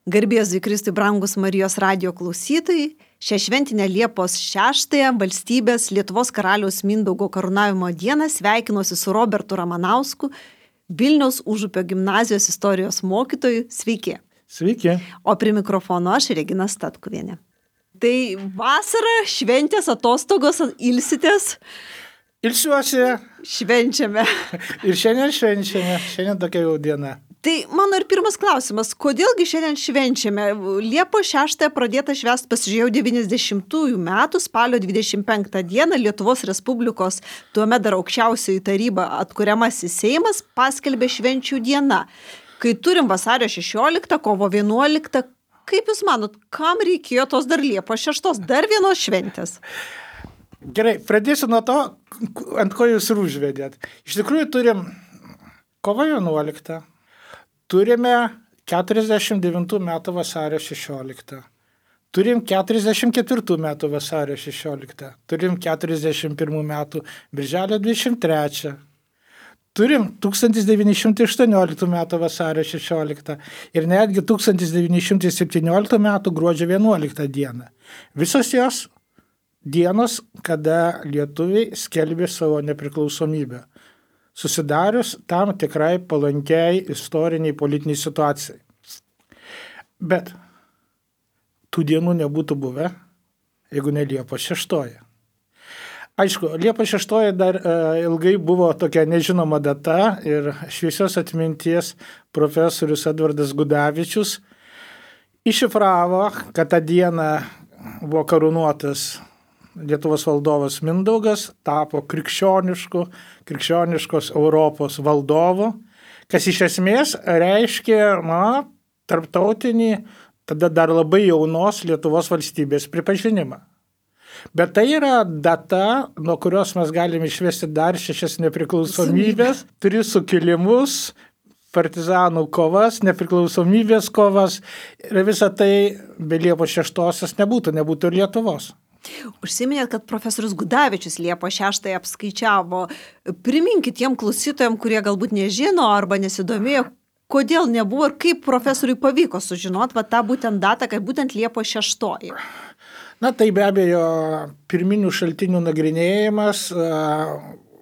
Garbėzui Kristui brangus Marijos radijo klausytojai, šią šventinę Liepos 6-ąją valstybės Lietuvos karaliaus Mindaugo karūnavimo dieną sveikinuosi su Robertu Ramanausku, Vilniaus Užupio gimnazijos istorijos mokytoju. Sveiki. Sveiki. O prie mikrofono aš, Regina Statkuvienė. Tai vasara, šventės, atostogos, ilsitės? Ilsiuosi. Švenčiame. Ir šiandien švenčiame. Šiandien tokia jau diena. Tai mano ir pirmas klausimas, kodėlgi šiandien švenčiame? Liepos 6-ąją pradėta švęsti, pasižiūrėjau, 90-ųjų metų spalio 25 dieną Lietuvos Respublikos, tuomet dar aukščiausioji taryba atkuriamasis Seimas paskelbė švenčių dieną. Kai turim vasario 16, kovo 11, kaip Jūs manot, kam reikėjo tos dar Liepos 6, dar vienos šventės? Gerai, pradėsiu nuo to, ant ko Jūs ir užvedėt. Iš tikrųjų turim kovo 11. Turime 49 metų vasario 16. Turim 44 metų vasario 16. Turim 41 metų birželio 23. Turim 1918 metų vasario 16. Ir netgi 1917 metų gruodžio 11 dieną. Visos jos dienos, kada lietuviai skelbė savo nepriklausomybę, susidarius tam tikrai palankiai istoriniai politiniai situacijai. Bet tų dienų nebūtų buvę, jeigu ne Liepos 6. Aišku, Liepos 6 dar ilgai buvo tokia nežinoma data ir šviesios atminties profesorius Edvardas Gudavičius iššifravo, kad tą dieną buvo karūnuotas Lietuvos valdovas Mindaugas, tapo krikščioniškos Europos valdovu, kas iš esmės reiškia, tarptautinį, tada dar labai jaunos Lietuvos valstybės pripažinimą. Bet tai yra data, nuo kurios mes galime išvesti dar 6 nepriklausomybės, 3 sukilimus, partizanų kovas, nepriklausomybės kovas ir visa tai be Liepos 6 nebūtų ir Lietuvos. Užsiminėt, kad profesorius Gudavičius Liepos 6 apskaičiavo. Priminkit tiem klausytojams, kurie galbūt nežino arba nesidomėjo, kodėl nebuvo ir kaip profesoriui pavyko sužinoti tą būtent datą, kad būtent Liepos 6. Tai be abejo pirminių šaltinių nagrinėjimas,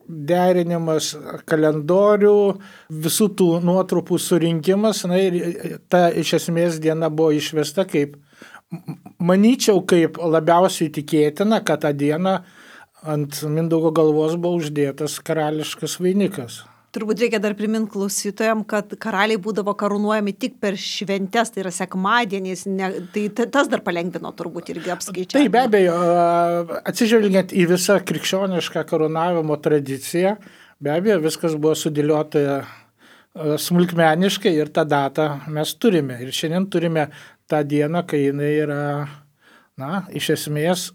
derinimas kalendorių, visų tų nuotrupų surinkimas, ir ta iš esmės diena buvo išvesta kaip, manyčiau, kaip labiausiai tikėtina, kad tą dieną ant Mindaugo galvos buvo uždėtas karališkas vainikas. Turbūt reikia dar priminti klausytojams, kad karaliai būdavo karūnuojami tik per šventes, tai yra sekmadieniais, tai tas dar palengvino turbūt irgi apskaičiavimą. Tai be abejo, atsižvelgiant į visą krikščionišką karūnavimo tradiciją, be abejo, viskas buvo sudėliota smulkmeniškai ir tą datą mes turime. Ir šiandien turime tą dieną, kai jinai yra, iš esmės,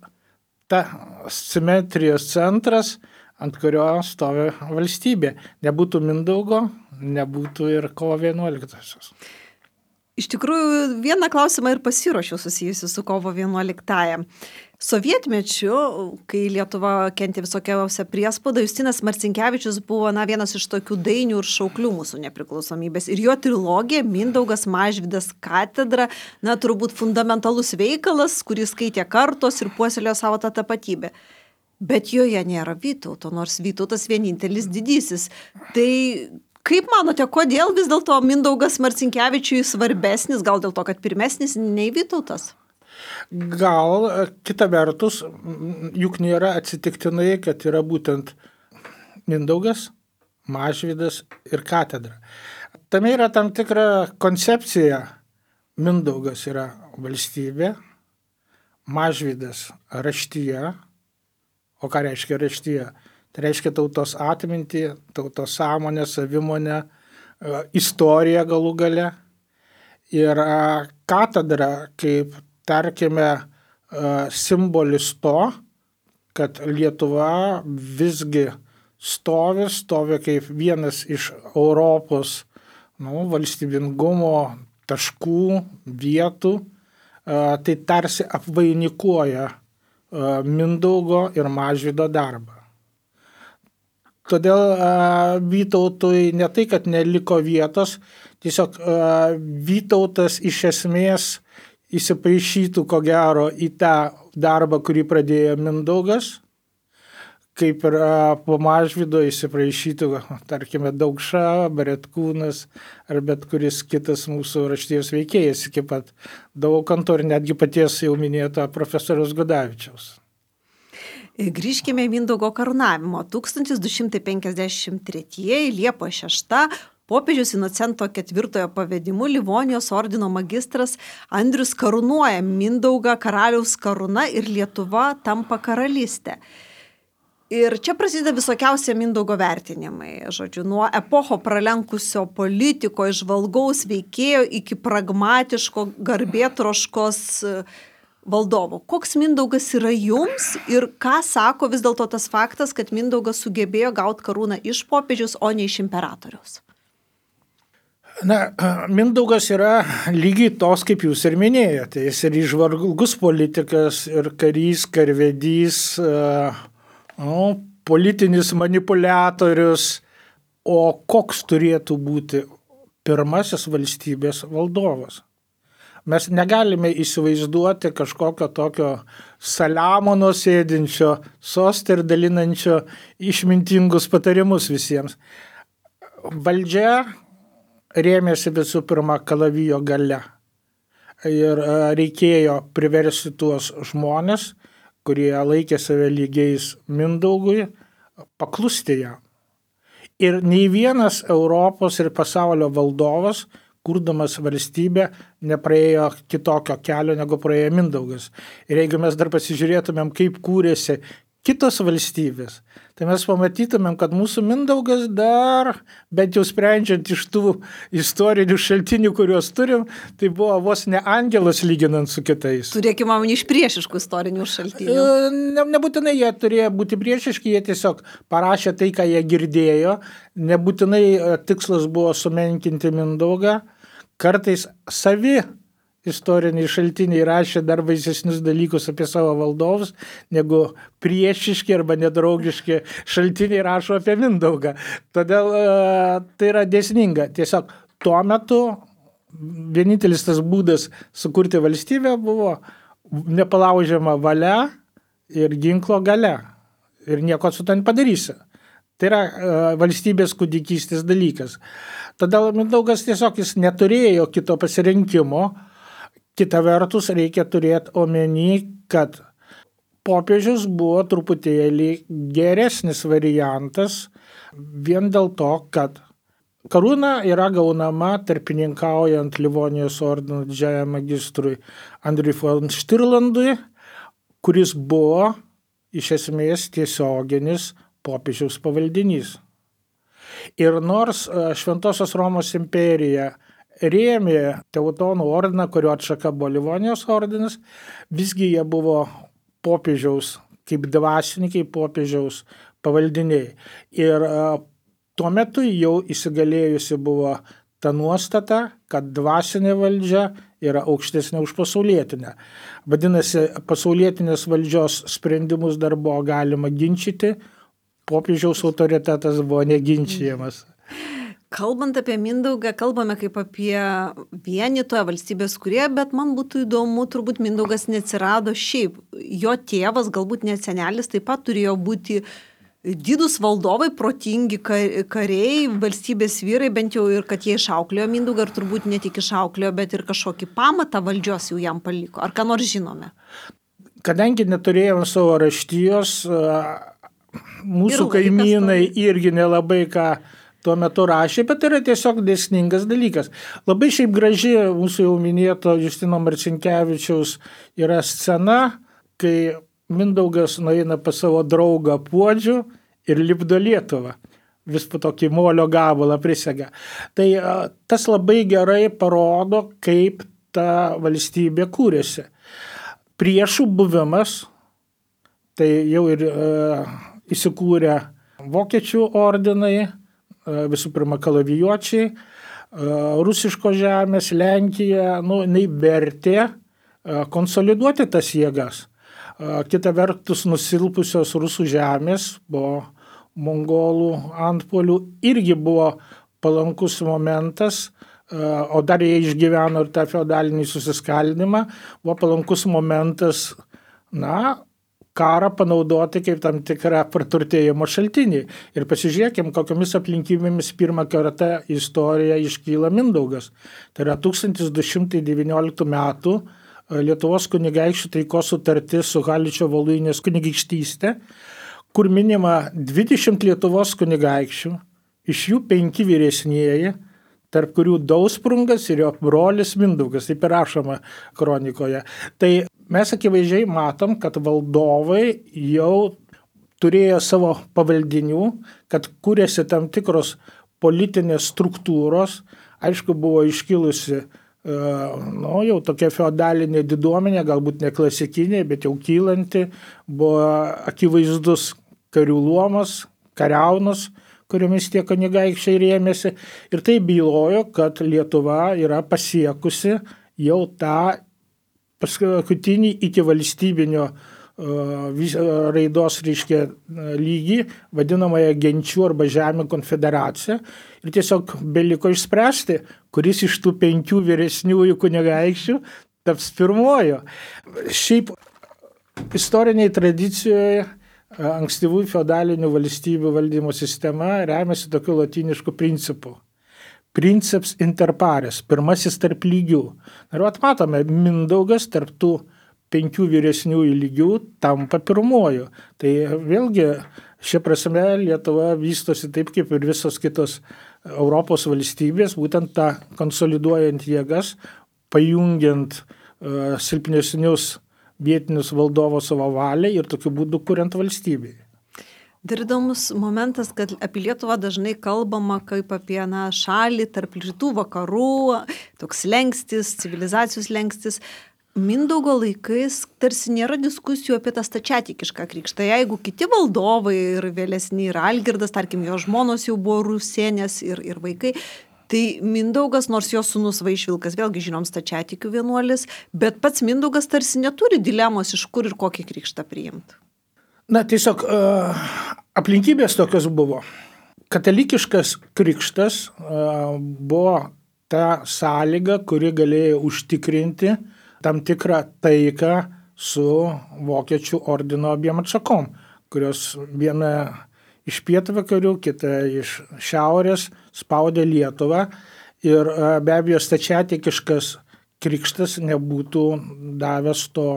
ta simetrijos centras, ant kurio stovi valstybė. Nebūtų Mindaugo, nebūtų ir kovo 11. Iš tikrųjų, vieną klausimą ir pasiruošiau susijusiu su kovo 11. Sovietmečiu, kai Lietuva kentė visokiausią priespaudą, Justinas Marcinkevičius buvo vienas iš tokių dainių ir šauklių mūsų nepriklausomybės. Ir jo trilogija Mindaugas, Mažvydas, Katedra, turbūt fundamentalus veikalas, kurį skaitė kartos ir puoselėjo savo tą tapatybę. Bet joje nėra Vytauto, nors Vytautas vienintelis didysis. Tai kaip manote, kodėl vis dėlto Mindaugas Marcinkevičiui svarbesnis, gal dėl to, kad pirmesnis nei Vytautas? Gal kita vertus, juk nėra atsitiktinai, kad yra būtent Mindaugas, Mažvydas ir Katedra. Tame yra tam tikra koncepcija. Mindaugas yra valstybė, Mažvydas raštija. O ką reiškia raštija? Tai reiškia tautos atmintį, tautos sąmonę, savimonę, istoriją galų gale. Ir katedra kaip, tarkime, simbolis to, kad Lietuva visgi stovi kaip vienas iš Europos valstybingumo taškų, vietų, tai tarsi apvainikuoja Mindaugo ir Mažvydo darbą. Todėl Vytautui ne tai, kad neliko vietos, tiesiog Vytautas iš esmės įsipaišytų ko gero į tą darbą, kurį pradėjo Mindaugas, kaip ir po Mažvydo įsipaišytų, tarkime, Daukša, Baretkūnas ar bet kuris kitas mūsų raštijos veikėjas iki pat Daukanto ir netgi paties jau minėto profesoriaus Gudavičiaus. Grįžkime į Mindaugo karūnavimo. 1253 Liepos 6 popiežius Inocento IV pavedimu Livonijos ordino magistras Andrius karūnuoja Mindaugą karaliaus karūna ir Lietuva tampa karalystė. Ir čia prasideda visokiausie Mindaugo vertinimai. Žodžiu, nuo epocho pralenkusio politiko, įžvalgaus veikėjo iki pragmatiško garbėtroškos valdovo. Koks Mindaugas yra jums ir ką sako vis dėlto tas faktas, kad Mindaugas sugebėjo gauti karūną iš popiežiaus, o ne iš imperatoriaus? Na, Mindaugas yra lygiai tos, kaip jūs ir minėjote. Jis ir įžvalgus politikas, ir karys, karvedys, politinis manipuliatorius. O koks turėtų būti pirmasis valstybės valdovas? Mes negalime įsivaizduoti kažkokio tokio Saliamono sėdinčio sostą ir dalinančio išmintingus patarimus visiems. Valdžia rėmėsi visų pirma kalavijo galia. Ir reikėjo priversti tuos žmonės, kurie laikė save lygiais Mindaugui, paklusti jam. Ir nei vienas Europos ir pasaulio valdovas, kurdamas valstybę, nepraėjo kitokio kelio, negu praėjo Mindaugas. Ir jeigu mes dar pasižiūrėtumėm, kaip kūrėsi kitos valstybės, tai mes pamatytumėm, kad mūsų Mindaugas dar, bent jau sprendžiant iš tų istorinių šaltinių, kuriuos turim, tai buvo vos ne angelas lyginant su kitais. Turėkime omeny iš priešiškų istorinių šaltinių. Nebūtinai jie turėjo būti priešiški, jie tiesiog parašė tai, ką jie girdėjo. Nebūtinai tikslas buvo sumenkinti Mindaugą. Kartais savi istoriniai šaltiniai rašė dar baisesnius dalykus apie savo valdovus, negu priešiški arba nedraugiški šaltiniai rašo apie Mindaugą. Todėl tai yra dėsninga. Tiesiog tuo metu vienintelis tas būdas sukurti valstybę buvo nepalaužiama valia ir ginklo galia. Ir nieko su to nepadarysi. Tai yra valstybės kūdikystės dalykas. Todėl Mindaugas tiesiog jis neturėjo kito pasirinkimo. Kita vertus reikia turėti omeny, kad popiežius buvo truputėlį geresnis variantas vien dėl to, kad karūna yra gaunama tarpininkaujant Livonijos ordino didžiajam magistrui Andriui von Štirlandui, kuris buvo iš esmės tiesioginis popiežiaus pavaldinys. Ir nors Šventosios Romos imperija rėmė Teutonų ordiną, kurio atšaka buvo Livonijos ordinas, visgi jie buvo popiežiaus, kaip dvasininkai, popiežiaus pavaldiniai. Ir tuo metu jau įsigalėjusi buvo ta nuostata, kad dvasinė valdžia yra aukštesnė už pasaulietinę. Vadinasi, pasaulietinės valdžios sprendimus dar buvo galima ginčyti, popiežiaus autoritetas buvo neginčiamas. Kalbant apie Mindaugą, kalbame kaip apie vienytoją valstybės kūrėją, bet man būtų įdomu, turbūt Mindaugas neatsirado šiaip. Jo tėvas, galbūt net senelis, taip pat turėjo būti didūs valdovai, protingi kariai, valstybės vyrai, bent jau ir kad jie išauklėjo Mindaugą, ir turbūt ne tik išauklėjo, bet ir kažkokį pamatą valdžios jau jam paliko. Ar ką nors žinome? Kadangi neturėjome savo raštijos, mūsų kaimynai irgi nelabai ką tuo metu rašė, bet yra tiesiog dėsningas dalykas. Labai šiaip graži mūsų jau minėto Justino Marcinkevičiaus yra scena, kai Mindaugas nueina pas savo draugą Puodžių ir lipdo Lietuvą. Vis po tokį molio gabalą prisega. Tai tas labai gerai parodo, kaip ta valstybė kūrėsi. Priešų buvimas, tai jau ir įsikūrė vokiečių ordinai, visų pirma kalavijuočiai, rusiško žemės, Lenkija, jinai vertė konsoliduoti tas jėgas. Kita vertus, nusilpusios rusų žemės po mongolų antpuolių irgi buvo palankus momentas, o dar jie išgyveno ir tą feodalinį susiskaldimą, buvo palankus momentas, karą panaudoti kaip tam tikrą praturtėjimo šaltinį. Ir pasižiūrėkim, kokiamis aplinkybėmis pirmą kartą istoriją iškyla Mindaugas. Tai yra 1219 metų Lietuvos kunigaikščių taikos sutartis su Haličio Voluinės kunigaikštystė, kur minima 20 Lietuvos kunigaikščių, iš jų 5 vyresnieji, tarp kurių Dausprungas ir jo brolis Mindaugas, taip ir rašoma kronikoje. Tai mes akivaizdžiai matom, kad valdovai jau turėjo savo pavaldinių, kad kūrėsi tam tikros politinės struktūros, aišku, buvo iškilusi jau tokia feodalinė diduomenė, galbūt ne klasikinė, bet jau kylanti, buvo akivaizdus karių luomas, kariaunos, kuriomis tie kunigaikščiai rėmėsi. Ir tai bylojo, kad Lietuva yra pasiekusi jau tą paskutinį iki valstybinio raidos lygį, vadinamąją genčių arba žemių konfederaciją. Ir tiesiog beliko išspręsti, kuris iš tų 5 vyresniųjų kunigaikščių taps pirmuoju. Šiaip istoriniai tradicijoje ankstyvųjų feodalinių valstybių valdymo sistema remiasi tokiu lotynišku principu. Princeps inter pares, pirmasis tarp lygių. Ir matome, Mindaugas tarp tų 5 vyresniųjų lygių tampa pirmuoju. Tai vėlgi šia prasme Lietuva vystosi taip kaip ir visos kitos Europos valstybės, būtent tą konsoliduojant jėgas, pajungiant silpnesnius vietinius valdovus savo valiai ir tokiu būdu kuriant valstybei. Dar įdomus momentas, kad apie Lietuvą dažnai kalbama kaip apie šalį tarp rytų vakarų, toks lengstis, civilizacijos lengstis. Mindaugo laikais tarsi nėra diskusijų apie tą stačiatikišką krikštą. Jeigu kiti valdovai ir vėlesni ir Algirdas, tarkim, jo žmonos jau buvo rusėnės ir vaikai, tai Mindaugas, nors jo sūnus Vaišvilkas, vėlgi žinom stačiatikių vienuolis, bet pats Mindaugas tarsi neturi dilemos, iš kur ir kokį krikštą priimti. Tiesiog aplinkybės tokios buvo. Katalikiškas krikštas buvo ta sąlyga, kuri galėjo užtikrinti tam tikrą taiką su vokiečių ordino abiem atšakom, kurios viena iš pietvakarių, kita iš šiaurės spaudė Lietuvą. Ir be abejo stačiatikiškas krikštas nebūtų davęs to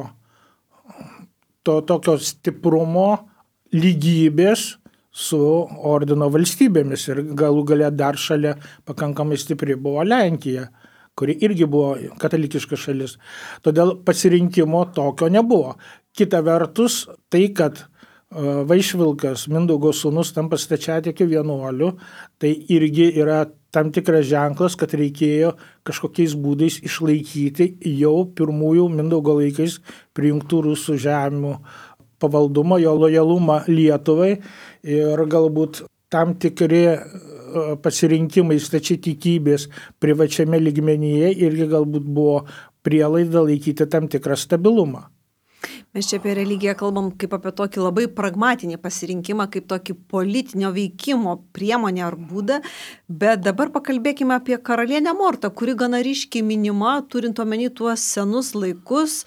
tokio stiprumo lygybės su ordino valstybėmis. Ir galų gale dar šalia pakankamai stipri buvo Lenkija, kuri irgi buvo katalikiška šalis. Todėl pasirinkimo tokio nebuvo. Kita vertus, tai, kad Vaišvilkas, Mindaugo sūnus, tampa stačiatikių vienuoliu, tai irgi yra tam tikras ženklas, kad reikėjo kažkokiais būdais išlaikyti jau pirmųjų Mindaugo laikais prijungtų rusų žemių pavaldumą, jo lojalumą Lietuvai ir galbūt tam tikri pasirinkimai stačiatikybės privačiame lygmenyje irgi galbūt buvo prielaida laikyti tam tikrą stabilumą. Mes čia apie religiją kalbam kaip apie tokį labai pragmatinį pasirinkimą, kaip tokį politinio veikimo priemonę ar būdą, bet dabar pakalbėkime apie karalienę Mortą, kuri gana ryškiai minima, turint omeny tuos senus laikus.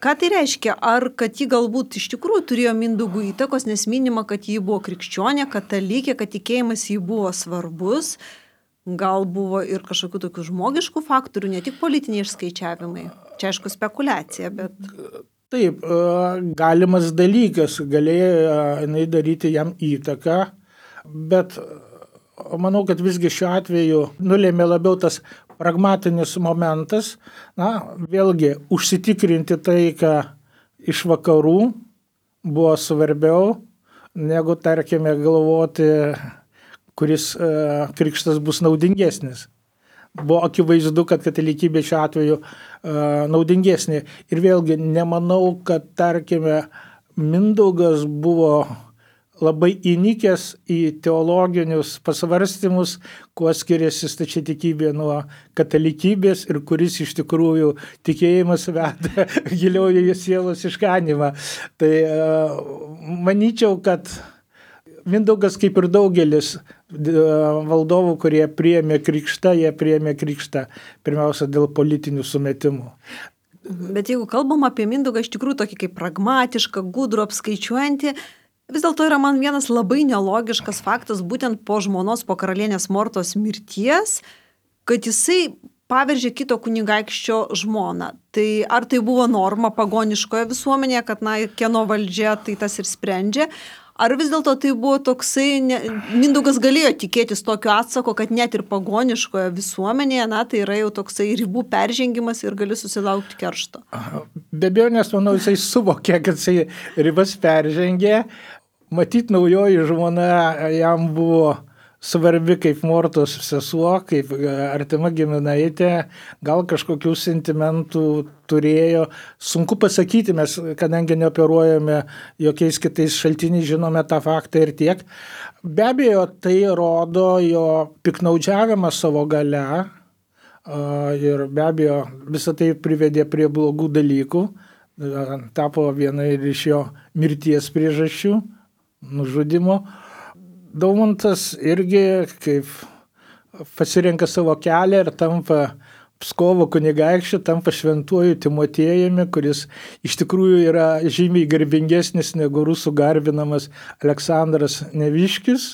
Ką tai reiškia? Ar kad ji galbūt iš tikrųjų turėjo Mindaugui įtakos, nes minima, kad ji buvo krikščionė, katalikė, kad tikėjimas jį buvo svarbus, gal buvo ir kažkokių tokių žmogiškų faktorių, ne tik politiniai išskaičiavimai. Čia aišku spekulacija, bet... Taip, galimas dalykas, galėjo jinai daryti jam įtaką, bet manau, kad visgi šiuo atveju nulėmė labiau tas pragmatinis momentas, vėlgi užsitikrinti taiką iš vakarų buvo svarbiau, negu, tarkime, galvoti, kuris krikštas bus naudingesnis. Buvo akivaizdu, kad katalikybė šiuo atveju naudingesnė. Ir vėlgi nemanau, kad, tarkime, Mindaugas buvo labai įnikęs į teologinius pasvarstymus, kuo skiriasi stačiatikybė nuo katalikybės ir kuris iš tikrųjų tikėjimas veda giliau į sielos išganymą. Tai manyčiau, kad Mindaugas, kaip ir daugelis valdovų, kurie priėmė krikštą, jie priėmė krikštą pirmiausia dėl politinių sumetimų. Bet jeigu kalbam apie Mindaugą, iš tikrųjų tokį kaip pragmatišką, gudrų, apskaičiuojantį, vis dėlto yra man vienas labai nelogiškas faktas, būtent po žmonos, po karalienės Mortos mirties, kad jisai paveržė kito kunigaikščio žmoną. Tai ar tai buvo norma pagoniškoje visuomenėje, kad kieno valdžia, tai tas ir sprendžia, ar vis dėlto tai buvo toksai, Mindaugas galėjo tikėtis tokio atsako, kad net ir pagoniškoje visuomenėje, tai yra jau toksai ribų peržengimas ir gali susilaukti keršto. Be abejo, nes manau, jisai suvokė, kad jisai ribas peržengė. Matyt, naujoji žmona jam buvo svarbi kaip Mortos sesuo, kaip artima giminaitė, gal kažkokių sentimentų turėjo. Sunku pasakyti, mes, kadangi neoperuojame jokiais kitais šaltiniais, žinome tą faktą ir tiek. Be abejo, tai rodo jo piknaudžiavimą savo gale ir be abejo visą tai privedė prie blogų dalykų, tapo viena iš jo mirties priežasčių, nužudimo. Daumantas irgi kaip pasirenka savo kelią ir tampa Pskovo kunigaikščiu, tampa šventuoju Timotiejumi, kuris iš tikrųjų yra žymiai garbingesnis negu rusų garbinamas Aleksandras Neviškis.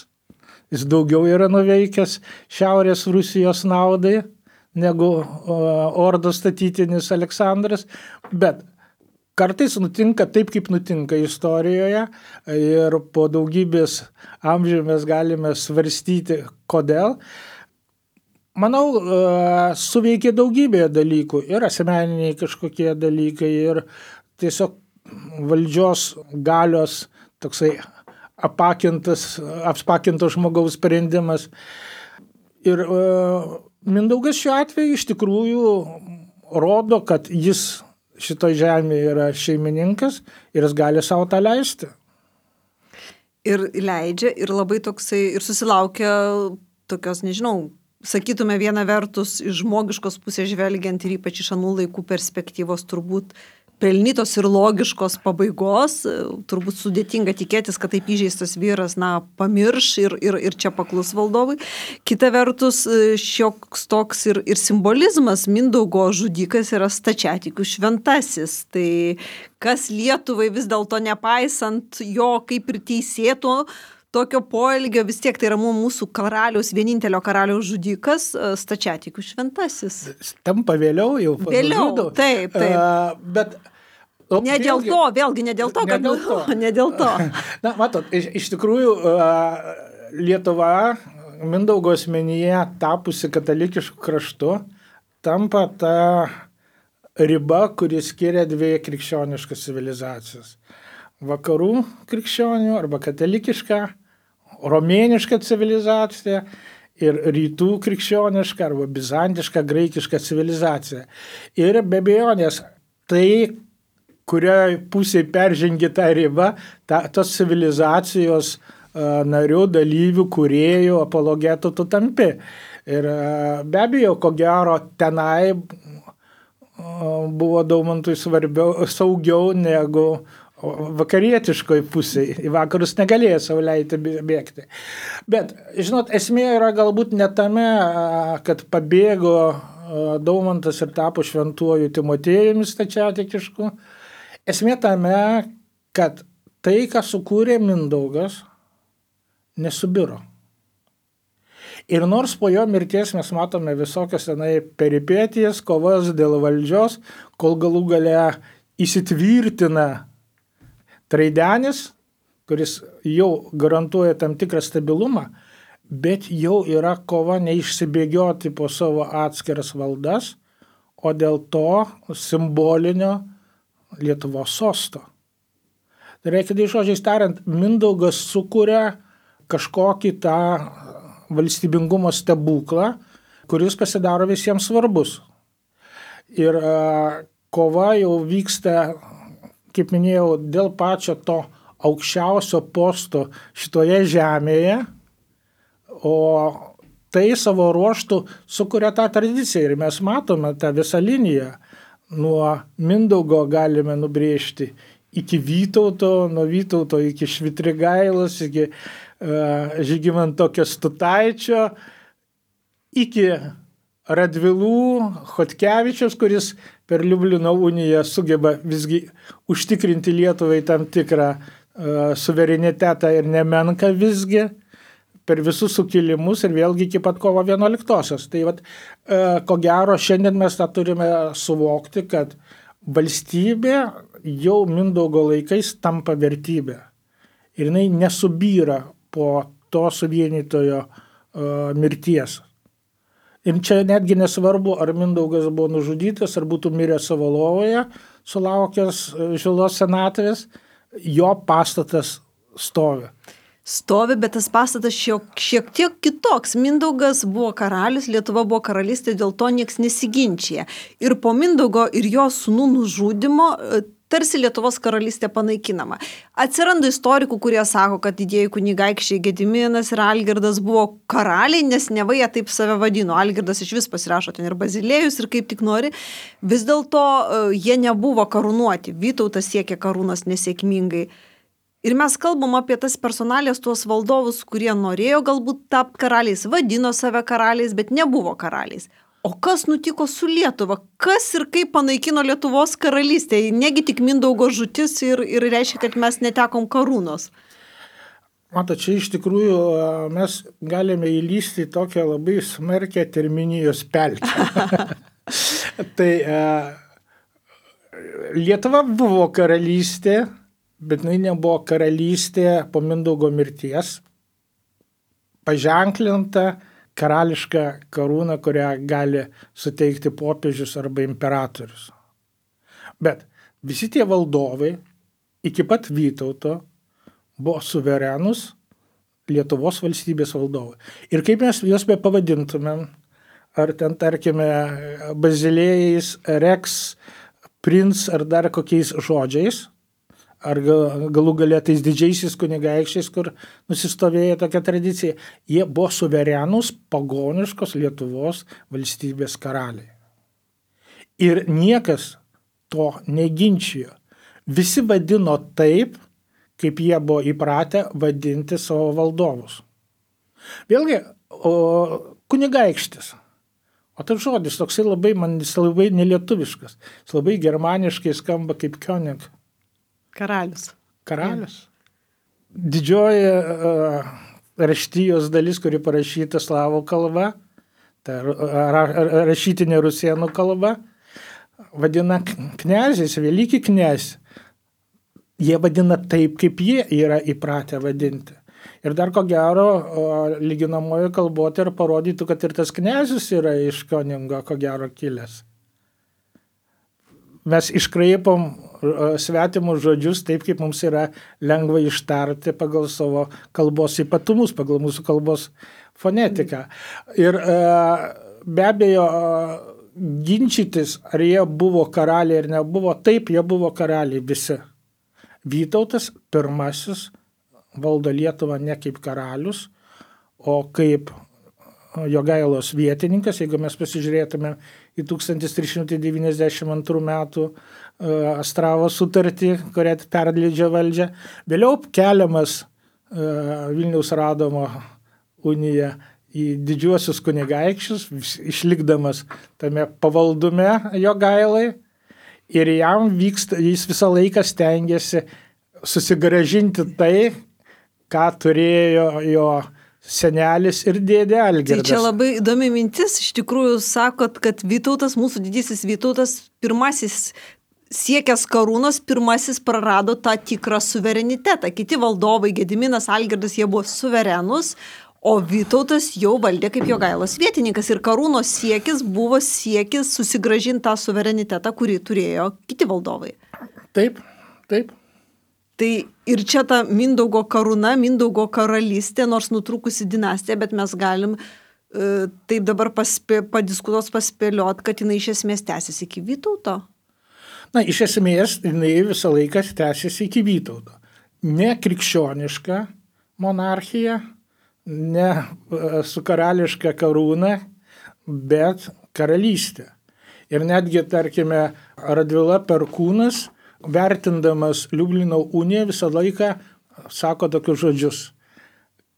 Jis daugiau yra nuveikęs Šiaurės Rusijos naudai negu ordos statytinis Aleksandras, bet kartais nutinka taip, kaip nutinka istorijoje ir po daugybės amžių mes galime svarstyti, kodėl. Manau, suveikė daugybė dalykų ir asmeniniai kažkokie dalykai ir tiesiog valdžios galios toksai apsakinto žmogaus sprendimas. Ir Mindaugas šiuo atveju iš tikrųjų rodo, kad jis šitoj žemėje yra šeimininkas ir jis gali savo tą leisti. Ir leidžia, ir labai toksai, ir susilaukia tokios, nežinau, sakytume viena vertus iš žmogiškos pusės žvelgiant ir ypač iš anų laikų perspektyvos turbūt pelnytos ir logiškos pabaigos, turbūt sudėtinga tikėtis, kad taip įžeistas vyras, pamirš ir čia paklus valdovui. Kita vertus, šioks toks ir simbolizmas, Mindaugo žudikas yra stačiatikių šventasis. Tai kas Lietuvai vis dėlto nepaisant jo kaip ir teisėto tokio poelgio, vis tiek tai yra mūsų karaliaus, vienintelio karaliaus žudikas, stačiatikių šventasis. Tampa vėliau jau. Vėliau, taip. Bet ne dėl to, vėlgi ne dėl to, kad ne dėl to. Matot, iš tikrųjų Lietuva Mindaugo asmenyje tapusi katalikišku kraštu tampa ta riba, kuri skiria dvi krikščioniškas civilizacijas. Vakarų krikščionių arba katalikišką, romėnišką civilizaciją ir rytų krikščionišką arba bizantišką, graikišką civilizaciją. Ir be abejonės tai, kurioje pusėje peržengi tą ribą, tos civilizacijos narių, dalyvių, kūrėjų, apologetų tu tampi. Ir be abejo, ko gero, tenai buvo Daumantui saugiau negu vakarietiškoj pusėje. Į vakarus negalėjo savo leisti bėgti. Bet, žinot, esmė yra galbūt ne tame, kad pabėgo Daumantas ir tapo šventuoju Timotiejumi stačiatikišku. Esmė tame, kad tai, ką sukūrė Mindaugas, nesubiro. Ir nors po jo mirties mes matome visokias peripetijas, kovas dėl valdžios, kol galų gale įsitvirtina Traidenis, kuris jau garantuoja tam tikrą stabilumą, bet jau yra kova neišsibėgioti po savo atskiras valdas, o dėl to simbolinio Lietuvos sosto. Tai reikia, žodžiais tariant, Mindaugas sukuria kažkokį tą valstybingumo stebuklą, kuris pasidaro visiems svarbus. Ir kova jau vyksta, kaip minėjau, dėl pačio to aukščiausio posto šitoje žemėje, o tai savo ruoštų sukuria tą tradiciją. Ir mes matome tą visą liniją. Nuo Mindaugo galime nubrėžti iki Vytauto, nuo Vytauto iki Švitrigailos, iki Žygimanto Kęstutaičio iki Radvilų Chodkevičiaus, kuris per Liublino uniją sugeba visgi užtikrinti Lietuvai tam tikrą suverenitetą ir nemenka visgi per visus sukilimus ir vėlgi iki pat kovo 11-osios. Tai vat, ko gero, šiandien mes tą turime suvokti, kad valstybė jau Mindaugo laikais tampa vertybė. Ir jinai nesubyra po to suvienytojo mirties. Ir čia netgi nesvarbu, ar Mindaugas buvo nužudytas, ar būtų miręs savo lovoje, sulaukęs žilos senatvės, jo pastatas stovi. Stovi, bet tas pastatas šiek tiek kitoks. Mindaugas buvo karalius, Lietuva buvo karalystė, dėl to nieks nesiginčia. Ir po Mindaugo ir jo sūnų nužudymo tarsi Lietuvos karalystė panaikinama. Atsiranda istorikų, kurie sako, kad didieji kunigaikščiai Gediminas ir Algirdas buvo karaliai, nes neva jie taip save vadino. Algirdas iš vis pasirašo ten ir Bazilėjus ir kaip tik nori. Vis dėlto jie nebuvo karūnuoti. Vytautas siekė karūnos nesėkmingai. Ir mes kalbam apie tas personalijas, tuos valdovus, kurie norėjo galbūt tapti karaliais, vadino save karaliais, bet nebuvo karaliais. O kas nutiko su Lietuva? Kas ir kaip panaikino Lietuvos karalystę? Negi tik Mindaugo žūtis ir reiškia, kad mes netekom karūnos. Mato, čia iš tikrųjų mes galime įlysti į tokią labai smarkę terminijos pelkę. Tai Lietuva buvo karalystė, bet jinai nebuvo karalystė po Mindaugo mirties, paženklinta karališką karūną, kurią gali suteikti popiežius arba imperatorius. Bet visi tie valdovai iki pat Vytauto buvo suverenus Lietuvos valstybės valdovai. Ir kaip mes juos be pavadintumėm, ar ten, tarkime, Bazilėjais, Rex, Prince ar dar kokiais žodžiais, ar galų galia tais didžiaisiais kunigaikščiais, kur nusistovėjo tokia tradicija, jie buvo suverenus pagoniškos Lietuvos valstybės karaliai. Ir niekas to neginčijo. Visi vadino taip, kaip jie buvo įpratę vadinti savo valdovus. Vėlgi, kunigaikštis. O tas žodis toksai labai, man jis labai nelietuviškas. Jis labai germaniškai skamba kaip König. Karalius. Karalius. Didžioji raštijos dalis, kuri parašyta slavų kalba, tai rašytinė rusėnų kalba, vadina kniazės, veliki kniaz. Jie vadina taip, kaip jie yra įpratę vadinti. Ir dar ko gero, lyginamojo kalbotė ir parodytų, kad ir tas kniazis yra iš Köningo, ko gero, kilęs. Mes iškraipom svetimus žodžius taip, kaip mums yra lengva ištarti pagal savo kalbos ypatumus, pagal mūsų kalbos fonetiką. Ir be abejo, ginčytis, ar jie buvo karaliai ar nebuvo, taip, jie buvo karaliai visi. Vytautas pirmasis valdo Lietuvą ne kaip karalius, o kaip Jogailos vietininkas, jeigu mes pasižiūrėtume į 1392 metų Astravo sutartį, kurią perleidžia valdžią. Vėliau keliamas Vilniaus Radomo unija į didžiuosius kunigaikščius, išlikdamas tame pavaldume Jogailai, ir jam jis visą laiką stengiasi susigrąžinti tai, ką turėjo jo senelis ir dėdė Algirdas. Tai čia labai įdomi mintis. Iš tikrųjų sakot, kad Vytautas, mūsų didysis Vytautas, pirmasis siekęs karūnos, pirmasis prarado tą tikrą suverenitetą. Kiti valdovai, Gediminas, Algirdas, jie buvo suverenus, o Vytautas jau valdė kaip Jogailos vietininkas. Ir karūnos siekis buvo siekis susigrąžinti tą suverenitetą, kurį turėjo kiti valdovai. Taip, taip. Tai ir čia ta Mindaugo karūna, Mindaugo karalystė, nors nutrūkusi dinastija, bet mes galim taip dabar padiskutuos, paspėliot, kad jinai iš esmės tęsiasi iki Vytauto. Na, iš esmės, jinai visą laiką tęsiasi iki Vytauto. Ne krikščioniška monarchija, ne su karališka karūna, bet karalystė. Ir netgi, tarkime, Radvila Perkūnas, vertindamas Liublino uniją, visą laiką sako tokius žodžius.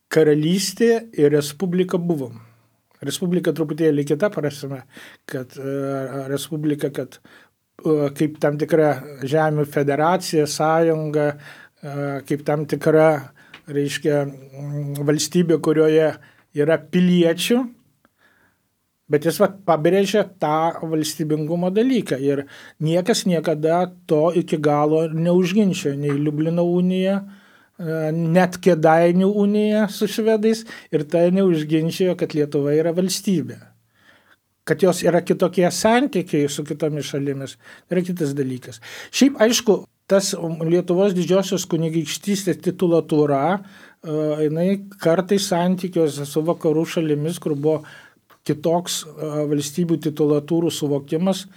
karalystė ir respublika buvom. Respublika truputėlį kita prasme, kad respublika, kad kaip tam tikra žemių federacija, sąjunga, kaip tam tikra, reiškia, valstybė, kurioje yra piliečių, bet jis pabrėžia tą valstybingumo dalyką ir niekas niekada to iki galo neužginčia, nei Liublino unija, net Kėdainių unija su švedais ir tai neužginčijo, kad Lietuva yra valstybė. Kad jos yra kitokie santykiai su kitomis šalimis, yra kitas dalykas. Šiaip, aišku, tas Lietuvos didžiosios kunigaikštystės titulatūra, jinai kartais santykiuose su vakarų šalimis, kur buvo kitoks valstybių titulatūrų suvokimas,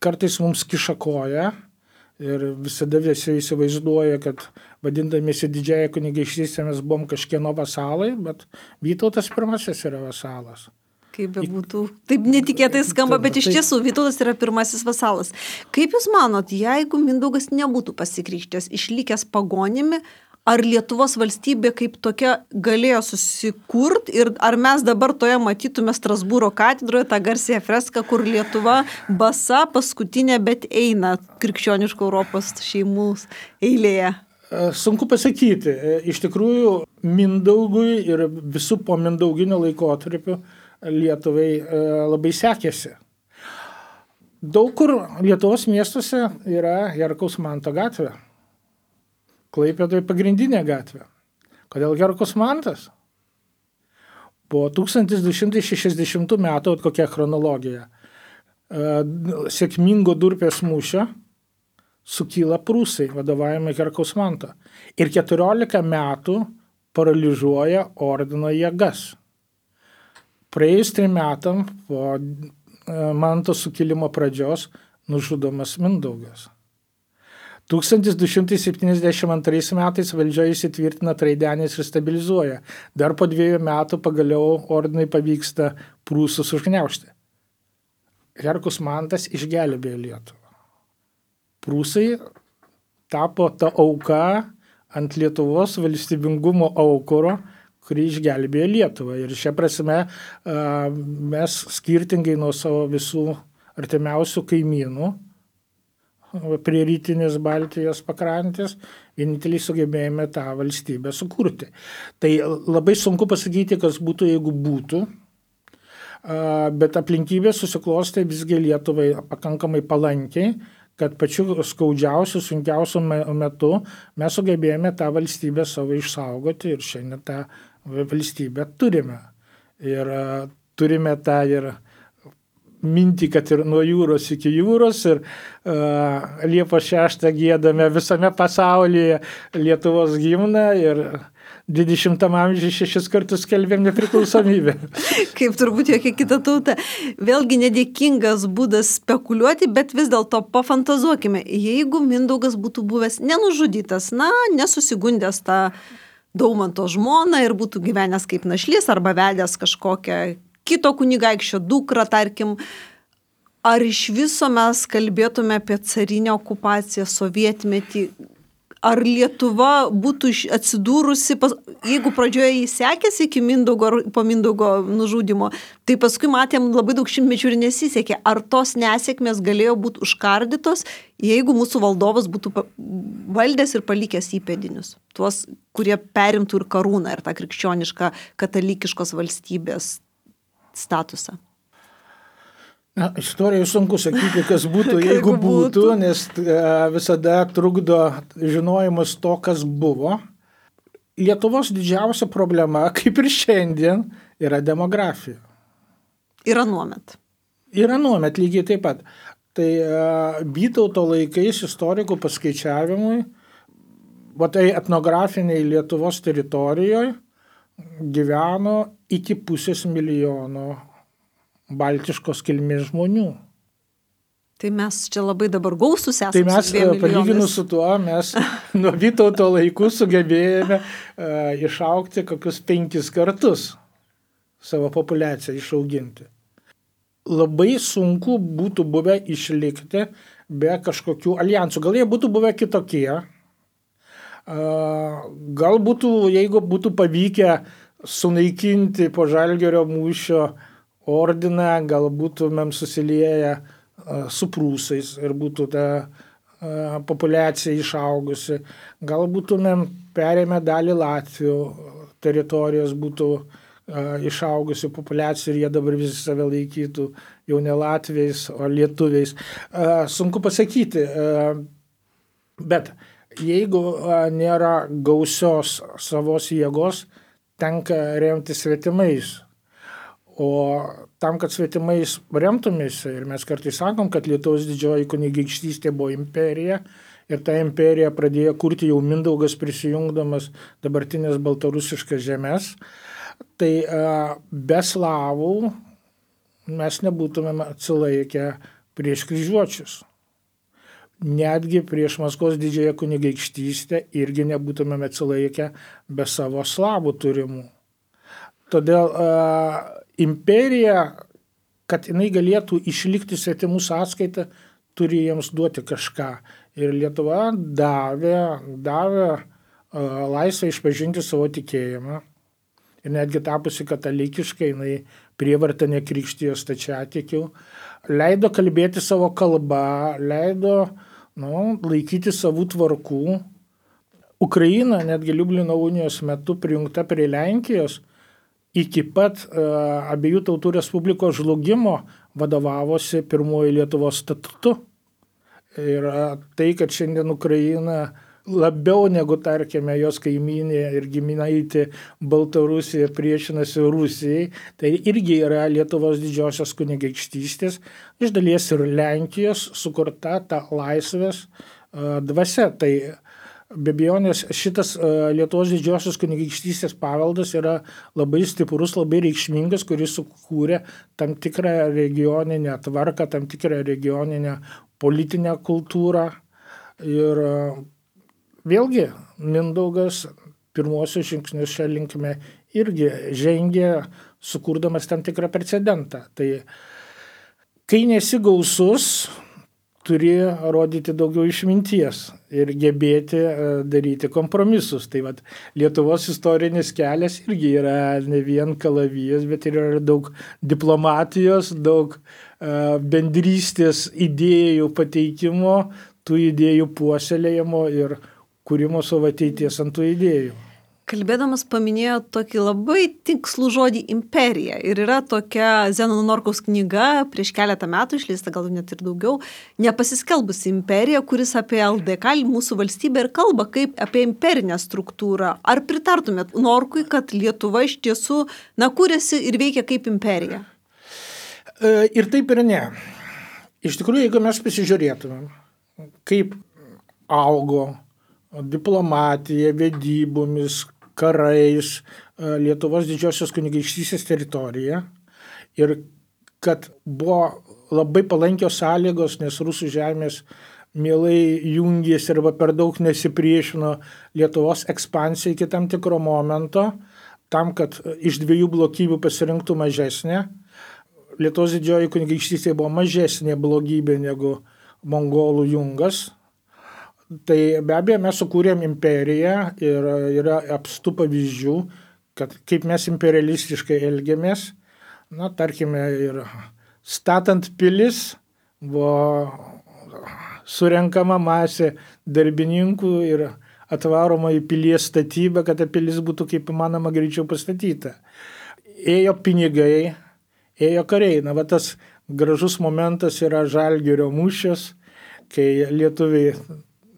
kartais mums kiša koją. Ir visada visi įsivaizduoja, kad vadindamiesi didžiąją kunigaikštystę mes buvom kažkieno vasalai, bet Vytautas pirmasis yra vasalas. Kaip bebūtų. Taip netikėtai skamba, bet iš tiesų Vytautas yra pirmasis vasalas. Kaip Jūs manot, jeigu Mindaugas nebūtų pasikrikštęs, išlikęs pagonimi, ar Lietuvos valstybė kaip tokia galėjo susikurti ir ar mes dabar toje matytume Strasbūro katedroje tą garsiąją freską, kur Lietuva basa paskutinė, bet eina krikščioniško Europos šeimų eilėje? Sunku pasakyti. Iš tikrųjų, Mindaugui ir visų po mindauginio laikotarpiu Lietuvai labai sekėsi. Daug kur Lietuvos miestuose yra Herkaus Manto gatvė. Klaipėdoje pagrindinė gatvė. Kodėl Herkus Mantas? Po 1260 metų, kokia chronologija, sėkmingo Durpės mūšio sukyla prūsai, vadovaujami Herkaus Manto. Ir 14 metų paralyžiuoja ordino jėgas. Praėjus 3 metam po Manto sukilimo pradžios nužudomas Mindaugas. 1272 metais valdžia įsitvirtina Traidenis ir stabilizuoja. Dar po 2 metų pagaliau ordinai pavyksta prūsus užgniaužti. Herkus Mantas išgelbėjo Lietuvą. Prūsai tapo ta auka ant Lietuvos valstybingumo aukuro, kuri išgelbėjo Lietuvą. Ir šia prasme mes skirtingai nuo savo visų artimiausių kaimynų prie rytinės Baltijos pakrantės, vieninteliai sugebėjome tą valstybę sukurti. Tai labai sunku pasakyti, kas būtų, jeigu būtų, bet aplinkybės susiklostė visgi Lietuvai pakankamai palankiai, kad pačiu skaudžiausiu, sunkiausiu metu mes sugebėjome tą valstybę savo išsaugoti ir šiandien tą valstybę turime. Ir turime tą ir mintį, kad ir nuo jūros iki jūros ir Liepos 6 giedame visame pasaulyje Lietuvos himną ir 20 amžiuje 6 kartus skelbėm nepriklausomybę. Kaip turbūt jokia kita tauta. Vėlgi nedėkingas būdas spekuliuoti, bet vis dėlto pafantazuokime, jeigu Mindaugas būtų buvęs nenužudytas, nesusigundęs tą Daumanto žmoną ir būtų gyvenęs kaip našlys arba vedęs kažkokią kito kunigaikščio dukrą, tarkim, ar iš viso mes kalbėtume apie carinę okupaciją, sovietmetį, ar Lietuva būtų atsidūrusi, jeigu pradžioje jį sekėsi iki Mindaugo, po Mindaugo nužudimo, tai paskui matėm labai daug šimtmečių ir nesisekė. Ar tos nesėkmės galėjo būti užkardytos, jeigu mūsų valdovas būtų valdęs ir palikęs įpėdinius, tuos, kurie perimtų ir karūną, ir tą krikščionišką katalikiškos valstybės statusą? Istorijai sunku sakyti, kas būtų, jeigu būtų, nes visada trukdo žinojimas to, kas buvo. Lietuvos didžiausia problema, kaip ir šiandien, yra demografija. Ir anuomet. Ir anuomet lygiai taip pat. Tai Vytauto laikais istorikų paskaičiavimui, tai etnografiniai Lietuvos teritorijoje gyveno iki 500 milijono baltiškos kilmės žmonių. Tai mes čia labai dabar gausūs esame. Tai mes, palyginus su tuo, mes nuo Vytauto laikų sugebėjome išaugti kokius 5 kartus savo populiaciją išauginti. Labai sunku būtų buvę išlikti be kažkokių alijansų. Gal jie būtų buvę kitokie. Gal būtų, jeigu būtų pavykę sunaikinti po Žalgirio mūšio ordiną, gal būtumėm susilieję su prūsais ir būtų ta populiacija išaugusi. Gal būtumėm perėmę dalį Latvių teritorijos, būtų išaugusi populiacija ir jie dabar visi save laikytų jau ne latviais, o lietuviais. Sunku pasakyti, bet jeigu nėra gausios savos jėgos, tenka remti svetimais. O tam, kad svetimais remtumės, ir mes kartais sakom, kad Lietuvos didžioji kunigaikštystė buvo imperija, ir ta imperija pradėjo kurti jau Mindaugas prisijungdamas dabartinės baltarusiškas žemės, tai be slavų mes nebūtumėm atsilaikę prieš kryžiuočius. Netgi prieš Maskvos didžiąją kunigaikštystę irgi nebūtumėm atsilaikę be savo slavų turimų. Todėl imperija, kad jinai galėtų išlikti svetimų sąskaitą, turi jiems duoti kažką. Ir Lietuva davė laisvę išpažinti savo tikėjimą. Ir netgi tapusi katalikiškai, jinai prievarta nekrikštijo stačiatikių, leido kalbėti savo kalbą, leido laikyti savų tvarkų. Ukraina netgi Liublino unijos metu prijungta prie Lenkijos, iki pat abiejų tautų respublikos žlugimo vadovavosi pirmoji Lietuvos statutu. Ir tai, kad šiandien Ukraina labiau negu, tarkime, jos kaimynė ir giminaitė Baltarusija priešinasi Rusijai, tai irgi yra Lietuvos didžiosios kunigaikštystės, iš dalies ir Lenkijos sukurta ta laisvės dvasia. Tai be abejonės šitas Lietuvos didžiosios kunigaikštystės paveldas yra labai stiprus, labai reikšmingas, kuris sukūrė tam tikrą regioninę tvarką, tam tikrą regioninę politinę kultūrą. Ir vėlgi Mindaugas pirmosius žingsnius šią linkme irgi žengė, sukurdamas tam tikrą precedentą. Tai kai nesi gausus, turi rodyti daugiau išminties ir gebėti daryti kompromisus. Tai vat, Lietuvos istorinis kelias irgi yra ne vien kalavijas, bet ir yra daug diplomatijos, daug bendrystės idėjų pateikimo, tų idėjų puoselėjimo ir kūrimo savo ateities ant tų idėjų. Kalbėdamas paminėjo tokį labai tikslų žodį imperija. Ir yra tokia Zenono Norkaus knyga, prieš keletą metų išleista, gal net ir daugiau, Nepasiskelbusi imperija, kuris apie LDK, mūsų valstybę, ir kalba kaip apie imperinę struktūrą. Ar pritartumėt Norkui, kad Lietuva iš tiesų kūrėsi ir veikia kaip imperija? Ir taip ir ne. Iš tikrųjų, jeigu mes pasižiūrėtumėm, kaip augo diplomatija, vedybomis, karais Lietuvos didžiosios kunigaikštystės teritorija ir kad buvo labai palankios sąlygos, nes rusų žemės mielai jungėsi arba per daug nesipriešino Lietuvos ekspansijai iki tam tikro momento, tam, kad iš dviejų blogybių pasirinktų mažesnė. Lietuvos didžioji kunigaikštystė buvo mažesnė blogybė negu mongolų jungas. Tai be abejo mes sukūrėm imperiją ir yra apstu pavyzdžių, kad kaip mes imperialistiškai elgiamės, tarkime, ir statant pilis buvo surenkama masė darbininkų ir atvaroma į pilies statybą, kad ta pilis būtų kaip įmanoma greičiau pastatyta. Ėjo pinigai, ėjo kariai. Tas gražus momentas yra Žalgirio mūšis, kai lietuviai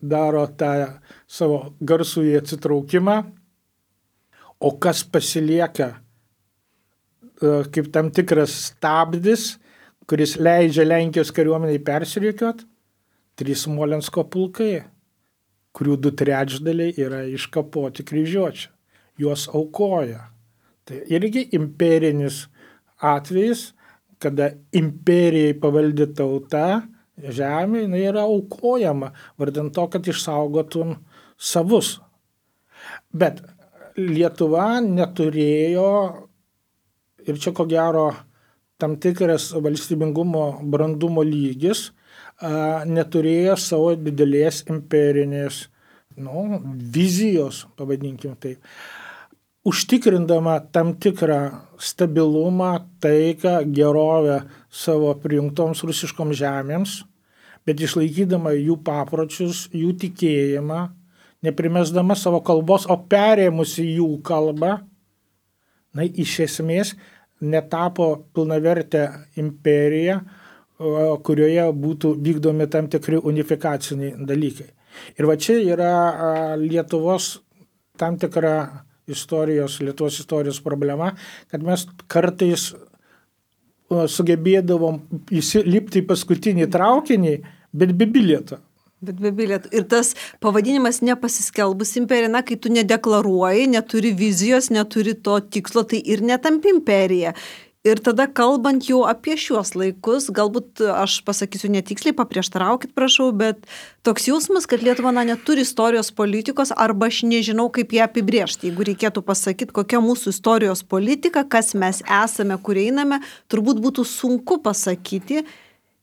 daro tą savo garsųjį atsitraukimą, o kas pasilieka kaip tam tikras stabdis, kuris leidžia Lenkijos kariuomeniai persirikiuot, 3 Smolensko pulkai, kurių 2/3 yra iškapoti kryžiuočių. Juos aukoja. Tai irgi imperinis atvejis, kada imperijai pavaldi tauta, žemė yra aukojama, vardant to, kad išsaugotum savus. Bet Lietuva neturėjo, ir čia ko gero tam tikras valstybingumo brandumo lygis, neturėjo savo didelės imperinės vizijos, pavadinkim taip. užtikrindama tam tikrą stabilumą, taiką, gerovę savo prijungtoms rusiškoms žemėms, bet išlaikydama jų papročius, jų tikėjimą, neprimesdama savo kalbos, o perėmusi jų kalbą, iš esmės netapo pilnavertė imperija, kurioje būtų vykdomi tam tikri unifikaciniai dalykai. Ir va čia yra Lietuvos tam tikra Lietuvos istorijos problema, kad mes kartais sugebėdavom įlipti į paskutinį traukinį, bet be bilieto. Bet be bilietų. Ir tas pavadinimas nepasiskelbus imperija, kai tu nedeklaruoji, neturi vizijos, neturi to tikslo, tai ir netampi imperija. Ir tada kalbant jau apie šiuos laikus, galbūt aš pasakysiu netiksliai, paprieštaraukit, prašau, bet toks jausmas, kad Lietuva neturi istorijos politikos, arba aš nežinau, kaip ją apibrėžti. Jeigu reikėtų pasakyti, kokia mūsų istorijos politika, kas mes esame, kur einame, turbūt būtų sunku pasakyti.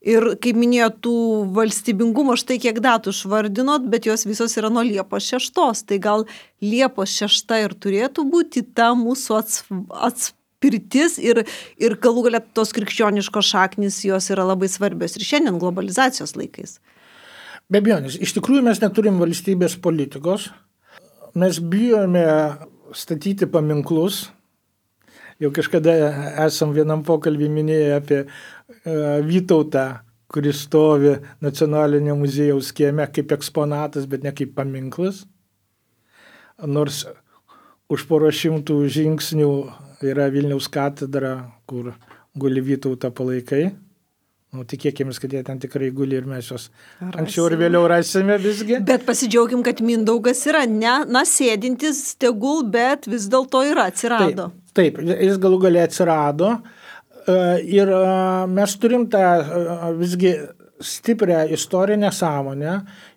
Ir kaip minėjo, tų valstybingumo štai kiek datų išvardinot, bet jos visos yra nuo Liepos 6. Tai gal Liepos 6 ir turėtų būti ta mūsų atspirtis ir galų galia tos krikščioniškos šaknys jos yra labai svarbios ir šiandien globalizacijos laikais. Be abejonės, iš tikrųjų mes neturim valstybės politikos, mes bijome statyti paminklus. Jau kažkada esam vienam pokalbį minėję apie Vytautą, kuris stovi Nacionalinio muziejaus kieme kaip eksponatas, bet ne kaip paminklas. Nors už porą šimtų žingsnių yra Vilniaus katedra, kur guli Vytauto palaikai. Tikėkime, kad jie ten tikrai guli ir mes juos anksčiau ir vėliau rasime visgi. Bet pasidžiaugim, kad Mindaugas yra sėdintis tegul, bet vis dėlto yra, atsirado. Taip, jis galų gale atsirado ir mes turim tą visgi stiprią istorinę sąmonę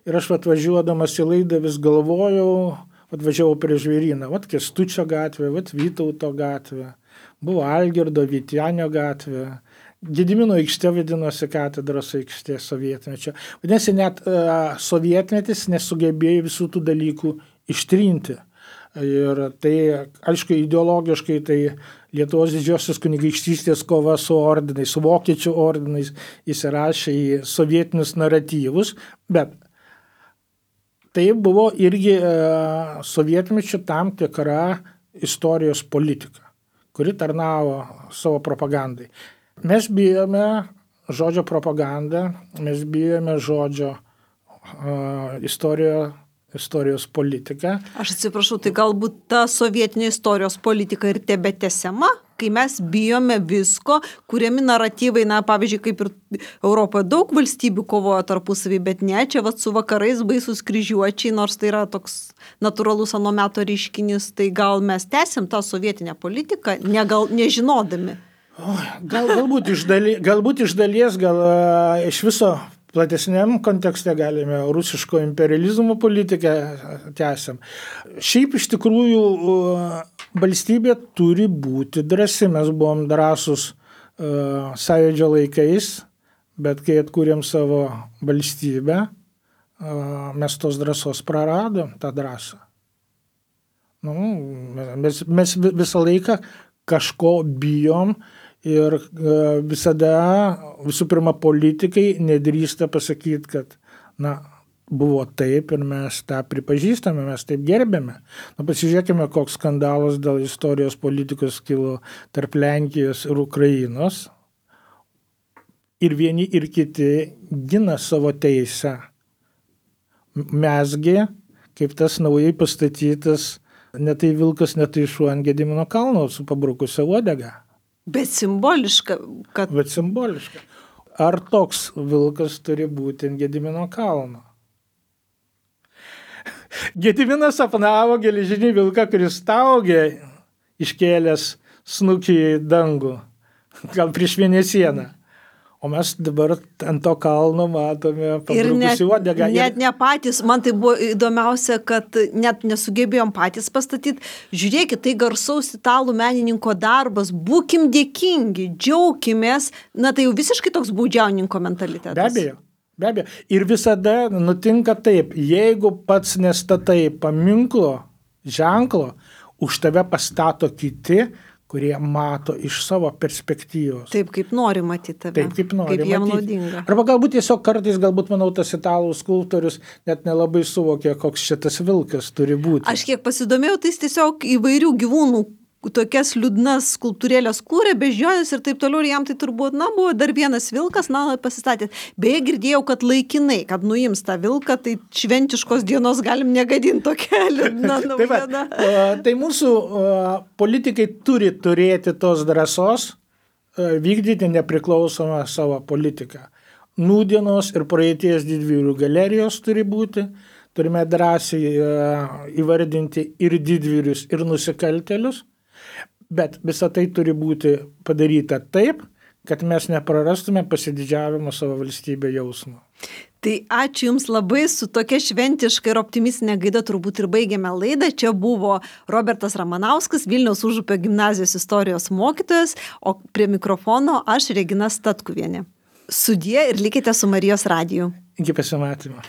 ir aš atvažiuodamas į laidą vis galvojau, atvažiavau prie Žvėryną, Kęstučio gatvė, Vytauto gatvė, buvo Algirdo Vytenio gatvė, Gedimino aikštė vadinosi katedros aikštė sovietmečio. Vadinasi, net sovietmetis nesugebėjo visų tų dalykų ištrinti. Ir tai, aišku, ideologiškai tai Lietuvos didžiosios kunigaikštystės kova su ordinais, su vokiečių ordinais įsirašė į sovietinius naratyvus, bet tai buvo irgi sovietmečio tam tikra istorijos politika, kuri tarnavo savo propagandai. Mes bijome žodžio propagandą, mes bijome žodžio istorijos politiką. Aš atsiprašau, tai galbūt ta sovietinė istorijos politika ir tebetęsiama, kai mes bijome visko, kuriami naratyvai, pavyzdžiui, kaip ir Europoje daug valstybių kovoja tarpusavį, bet ne, čia su vakarais baisus kryžiuočiai, nors tai yra toks natūralus ano meto reiškinys, tai gal mes tęsim tą sovietinę politiką, nežinodami. Galbūt iš dalies, iš viso platesniam kontekste galime rusiško imperializmo politiką tęsiam. Šiaip iš tikrųjų valstybė turi būti drąsi. Mes buvom drąsus Sąjūdžio laikais, bet kai atkūrėm savo valstybę, mes tos drąsos praradom, tą drąsą. Mes visą laiką kažko bijom. Ir visada, visų pirma, politikai nedrįsta pasakyti, kad buvo taip ir mes tą pripažįstame, mes taip gerbėme. Pasižiūrėkime, koks skandalas dėl istorijos politikos kilo tarp Lenkijos ir Ukrainos. Ir vieni ir kiti gina savo teisę. Mesgi, kaip tas naujai pastatytas, ne tai vilkas, ne tai šuo ant Gedimino kalno su pabrukusia uodega. Bet simboliška, kad... Bet simboliška. Ar toks vilkas turi būti ant Gedimino kalno? Gediminas sapnavo geležinį vilką, kuris staugė, iškėlęs snukį į dangų, gal prieš mėnesieną. O mes dabar ant to kalno matome pabrukusi uodegą. Net ne patys, man tai buvo įdomiausia, kad net nesugebėjom patys pastatyti. Žiūrėkit, tai garsaus italų menininko darbas, būkim dėkingi, džiaukimės. Tai jau visiškai toks baudžiauninko mentalitetas. Be abejo. Ir visada nutinka taip, jeigu pats nestatai paminklo, ženklo, už tave pastato kiti, kurie mato iš savo perspektyvos. Taip, kaip nori matyti tave. Taip, kaip nori kaip jam matyti. naudinga. Arba galbūt tiesiog kartais, manau, tas italų skulptorius net nelabai suvokė, koks šitas vilkas turi būti. Aš kiek pasidomėjau, tai jis tiesiog įvairių gyvūnų tokias liūdnas skulptūrėlės kūrė, beždžionės ir taip toliau, ir jam tai turbūt, buvo dar vienas vilkas, pasistatė. Beje, girdėjau, kad laikinai, kad nuims tą vilką, tai šventiškos dienos galim negadinti tokia liūdna naujiena. Tai mūsų politikai turi turėti tos drąsos vykdyti nepriklausomą savo politiką. Nūdienos ir praeities didvyrių galerijos turi būti. Turime drąsiai įvardinti ir didvyrius, ir nusikaltėlius. Bet visa tai turi būti padaryta taip, kad mes neprarastume pasididžiavimo savo valstybę jausmo. Tai ačiū Jums labai, su tokia šventiška ir optimistinė gaida turbūt ir baigėme laidą. Čia buvo Robertas Ramanauskas, Vilniaus Užupio gimnazijos istorijos mokytojas, o prie mikrofono aš, Regina Statkuvienė. Sudie ir likite su Marijos radiju. Iki pasimatymo.